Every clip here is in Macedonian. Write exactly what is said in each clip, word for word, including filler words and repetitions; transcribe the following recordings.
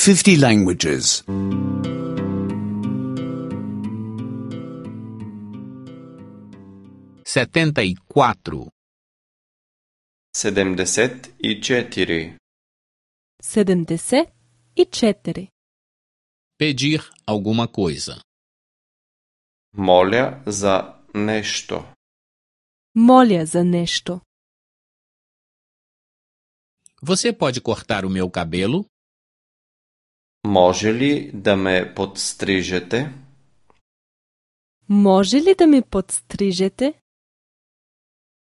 fifty languages. setenta e quatro. седемдесет и четири. седемдесет и четири. Pedir alguma coisa. Моля за нешто. Моля за нешто. Você pode cortar o meu cabelo? Може ли да ме подстрижете? Може ли да ме подстрижете?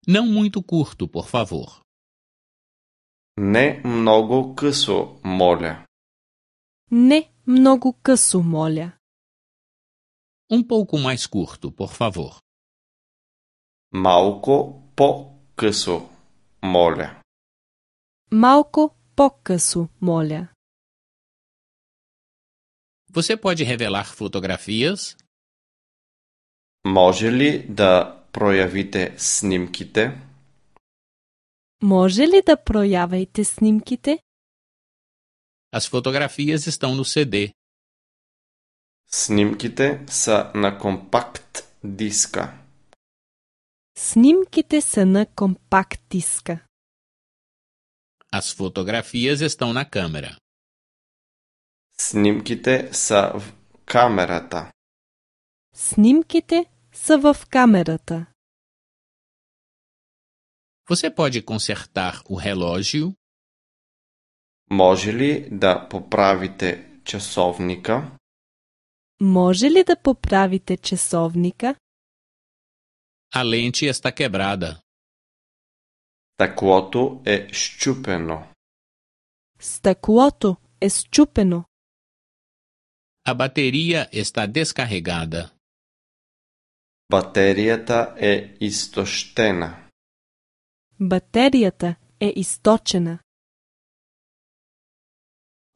Não muito curto, por favor. Не много късо, моля. Не много късо, моля. Um pouco mais curto, por favor. Малко по-късо, моля. Малко по-късо, моля. Você pode revelar fotografias? Може ли да проявите снимките? Може ли да проявите снимките? As fotografias estão no C D. Снимките са на компакт диска. Снимките са на компакт диска. As fotografias estão na câmera. Снимките са в камерата. Снимките са в камерата. Você pode consertar o relógio? Може ли да поправите часовника? Може ли да поправите часовника? A lente está quebrada. Стъклото е счупено. Стъклото е счупено. A bateria está descarregada. Батерията е изтощена. Батерията е източена.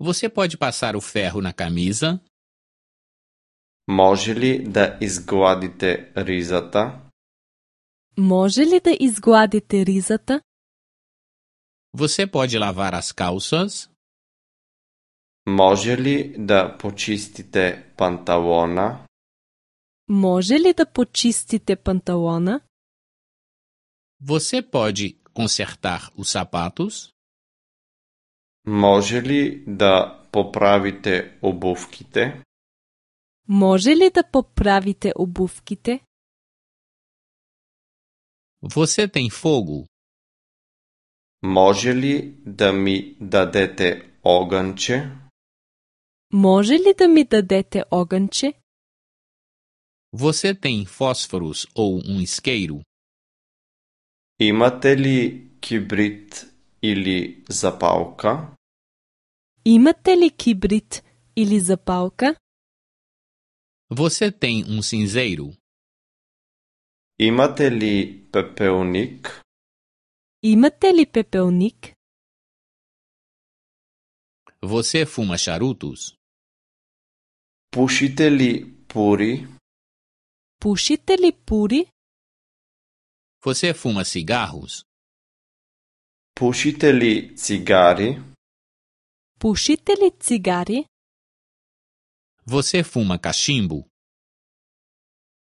Você pode passar o ferro na camisa? Може ли да изгладите ризата? Може ли да изгладите ризата? Você pode lavar as calças? Може ли да почистите панталона? Може ли да почистите панталона? Você pode consertar os sapatos? Може ли да поправите обувките? Може ли да поправите обувките? Você tem fogo? Може ли да ми дадете огънче? Може ли да ми дадете огънче? Você tem fósforos ou um isqueiro? Имате ли кибрид или запалка? Имате ли кибрид или запалка? Você tem um cinzeiro? Имате ли пепелник? Имате ли пепелник? Você fuma charutos? Пушите ли пури? Пушите ли пури? Você fuma cigarros? Пушите ли цигари? Пушите ли цигари? Você fuma cachimbo?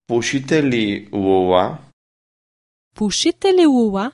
Пушите ли лула? Пушите ли лула?